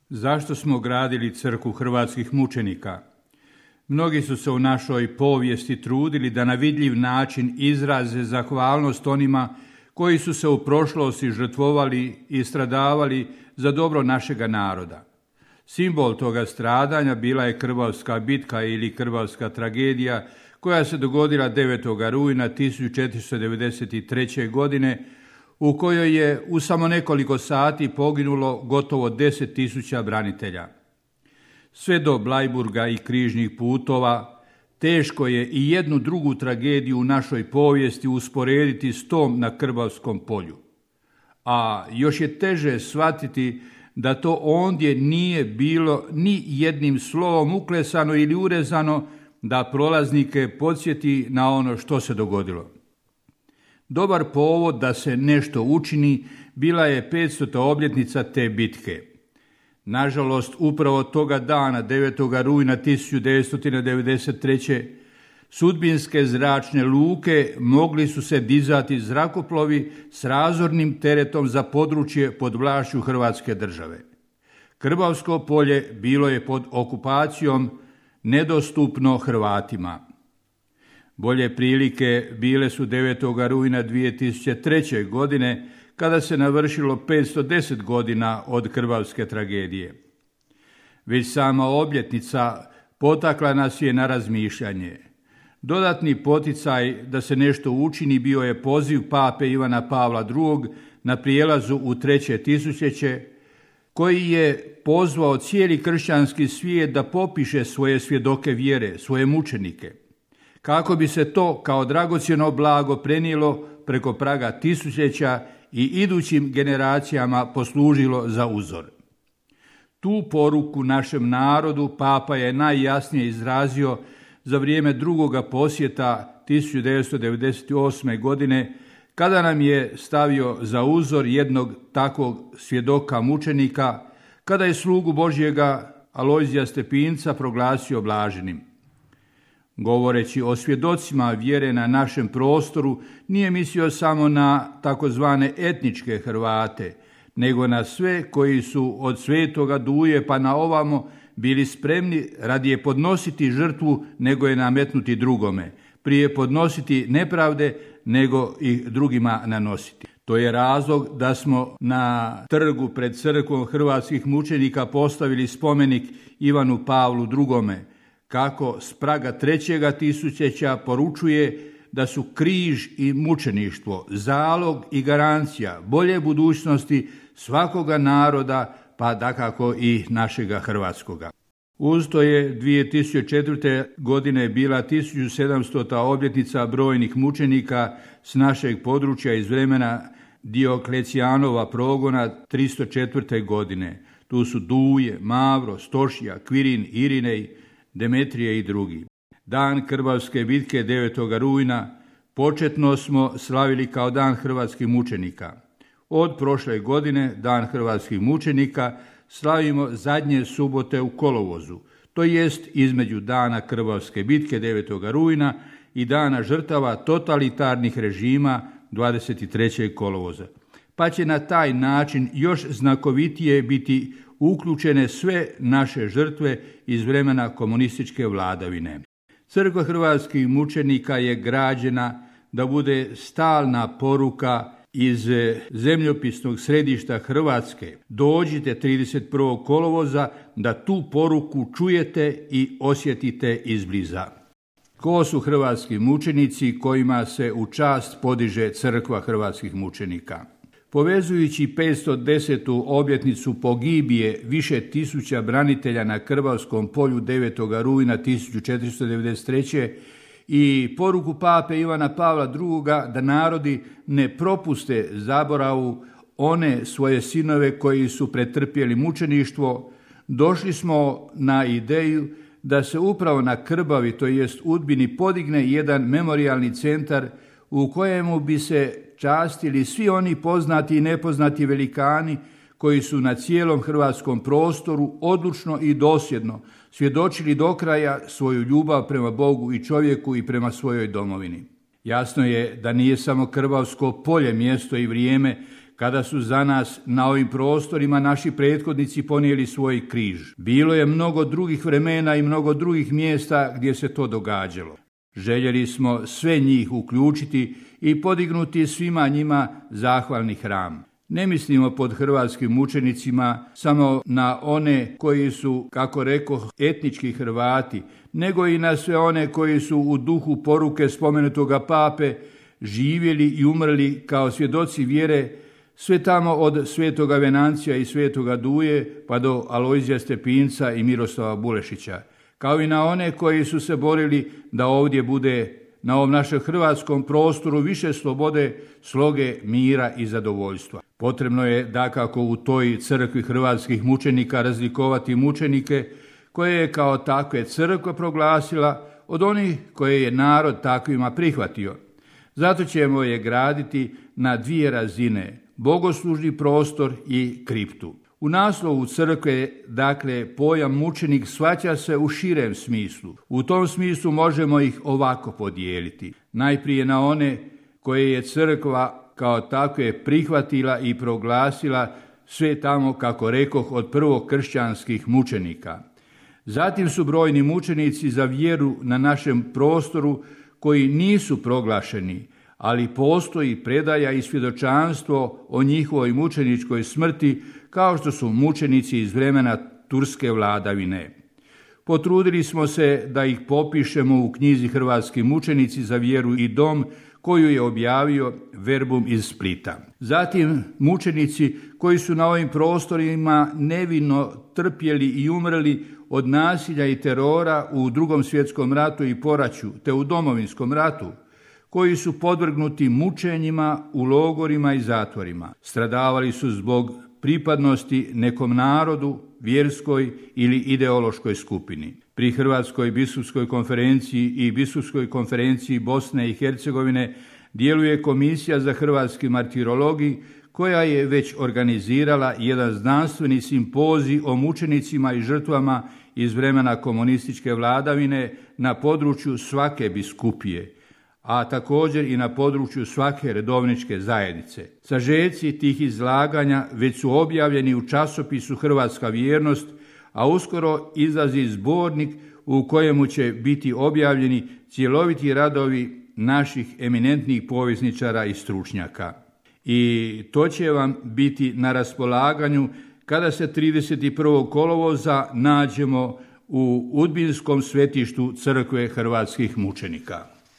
Zašto smo gradili crkvu hrvatskih mučenika? Mnogi su se u našoj povijesti trudili da na vidljiv način izraze zahvalnost onima koji su se u prošlosti žrtvovali i stradavali za dobro našega naroda. Simbol toga stradanja bila je Krbavska bitka ili Krbavska tragedija koja se dogodila 9. rujna 1493. godine, u kojoj je u samo nekoliko sati poginulo gotovo 10.000 branitelja. Sve do Blajburga i križnih putova teško je i jednu drugu tragediju u našoj povijesti usporediti s tom na Krbavskom polju. A još je teže shvatiti da to ondje nije bilo ni jednim slovom uklesano ili urezano da prolaznike podsjeti na ono što se dogodilo. Dobar povod da se nešto učini bila je 500. obljetnica te bitke. Nažalost, upravo toga dana, 9. rujna 1993. sudbinske zračne luke mogli su se dizati zrakoplovi s razornim teretom za područje pod vlašću Hrvatske države. Krbavsko polje bilo je pod okupacijom, nedostupno Hrvatima. Bolje prilike bile su 9. rujna 2003. godine, kada se navršilo 510 godina od Krbavske tragedije. Već sama obljetnica potakla nas je na razmišljanje. Dodatni poticaj da se nešto učini bio je poziv pape Ivana Pavla II. Na prijelazu u 3. tisućljeće, koji je pozvao cijeli kršćanski svijet da popiše svoje svjedoke vjere, svoje mučenike, kako bi se to kao dragocjeno blago prenijelo preko praga tisućljeća i idućim generacijama poslužilo za uzor. Tu poruku našem narodu papa je najjasnije izrazio za vrijeme drugoga posjeta 1998. godine, kada nam je stavio za uzor jednog takvog svjedoka mučenika, kada je slugu Božjega Alojzija Stepinca proglasio blaženim. Govoreći o svjedocima vjere na našem prostoru, nije mislio samo na takozvane etničke Hrvate, nego na sve koji su od Svetoga Duje pa na ovamo bili spremni radije podnositi žrtvu nego je nametnuti drugome, prije podnositi nepravde nego ih drugima nanositi. To je razlog da smo na trgu pred crkvom hrvatskih mučenika postavili spomenik Ivanu Pavlu II, kako s praga 3. tisućljeća poručuje da su križ i mučeništvo zalog i garancija bolje budućnosti svakoga naroda, pa dakako i našega hrvatskoga. Uz to je 2004. godine bila 1700. obljetnica brojnih mučenika s našeg područja iz vremena Dioklecijanova progona 304. godine. Tu su Duje, Mavro, Stošija, Kvirin, Irinej, Demetrije i drugi. Dan Krbavske bitke 9. rujna početno smo slavili kao dan hrvatskih mučenika. Od prošle godine dan hrvatskih mučenika slavimo zadnje subote u kolovozu, to jest između dana Krbavske bitke 9. rujna i dana žrtava totalitarnih režima 23. kolovoza. Pa će na taj način još znakovitije biti uključene sve naše žrtve iz vremena komunističke vladavine. Crkva hrvatskih mučenika je građena da bude stalna poruka iz zemljopisnog središta Hrvatske. Dođite 31. kolovoza da tu poruku čujete i osjetite izbliza. Ko su hrvatski mučenici kojima se u čast podiže crkva hrvatskih mučenika? Povezujući 510. obljetnicu pogibije više tisuća branitelja na Krbavskom polju 9. rujna 1493. i poruku pape Ivana Pavla II. Da narodi ne propuste zaboravu one svoje sinove koji su pretrpjeli mučeništvo, došli smo na ideju da se upravo na Krbavi, to jest Udbini, podigne jedan memorijalni centar u kojemu bi se častili svi oni poznati i nepoznati velikani koji su na cijelom hrvatskom prostoru odlučno i dosljedno svjedočili do kraja svoju ljubav prema Bogu i čovjeku i prema svojoj domovini. Jasno je da nije samo Krbavsko polje mjesto i vrijeme kada su za nas na ovim prostorima naši prethodnici ponijeli svoj križ. Bilo je mnogo drugih vremena i mnogo drugih mjesta gdje se to događalo. Željeli smo sve njih uključiti i podignuti svima njima zahvalni hram. Ne mislimo pod hrvatskim mučenicima samo na one koji su, kako rekoh, etnički Hrvati, nego i na sve one koji su u duhu poruke spomenutoga pape živjeli i umrli kao svjedoci vjere, sve tamo od svetoga Venancija i svetoga Duje pa do Alojzija Stepinca i Miroslava Bulešića, kao i na one koji su se borili da ovdje bude na ovom našem hrvatskom prostoru više slobode, sloge, mira i zadovoljstva. Potrebno je dakako u toj crkvi hrvatskih mučenika razlikovati mučenike koje je kao takve crkva proglasila od onih koje je narod takvima prihvatio. Zato ćemo je graditi na dvije razine, bogoslužni prostor i kriptu. U naslovu crkve, dakle, pojam mučenik shvaća se u širem smislu. U tom smislu možemo ih ovako podijeliti. Najprije na one koje je crkva kao takve prihvatila i proglasila sve tamo, kako rekoh, od prvokršćanskih mučenika. Zatim su brojni mučenici za vjeru na našem prostoru koji nisu proglašeni, ali postoji predaja i svjedočanstvo o njihovoj mučeničkoj smrti, kao što su mučenici iz vremena turske vladavine. Potrudili smo se da ih popišemo u knjizi Hrvatski mučenici za vjeru i dom, koju je objavio Verbum iz Splita. Zatim mučenici koji su na ovim prostorima nevino trpjeli i umrli od nasilja i terora u Drugom svjetskom ratu i poraću, te u Domovinskom ratu, koji su podvrgnuti mučenjima u logorima i zatvorima. Stradavali su zbog pripadnosti nekom narodu, vjerskoj ili ideološkoj skupini. Pri Hrvatskoj biskupskoj konferenciji i biskupskoj konferenciji Bosne i Hercegovine djeluje Komisija za hrvatski martirologij, koja je već organizirala jedan znanstveni simpozij o mučenicima i žrtvama iz vremena komunističke vladavine na području svake biskupije, a također i na području svake redovničke zajednice. Sažeci tih izlaganja već su objavljeni u časopisu Hrvatska vjernost, a uskoro izlazi zbornik u kojemu će biti objavljeni cjeloviti radovi naših eminentnih povjesničara i stručnjaka. I to će vam biti na raspolaganju kada se 31. kolovoza nađemo u Udbinskom svetištu crkve hrvatskih mučenika.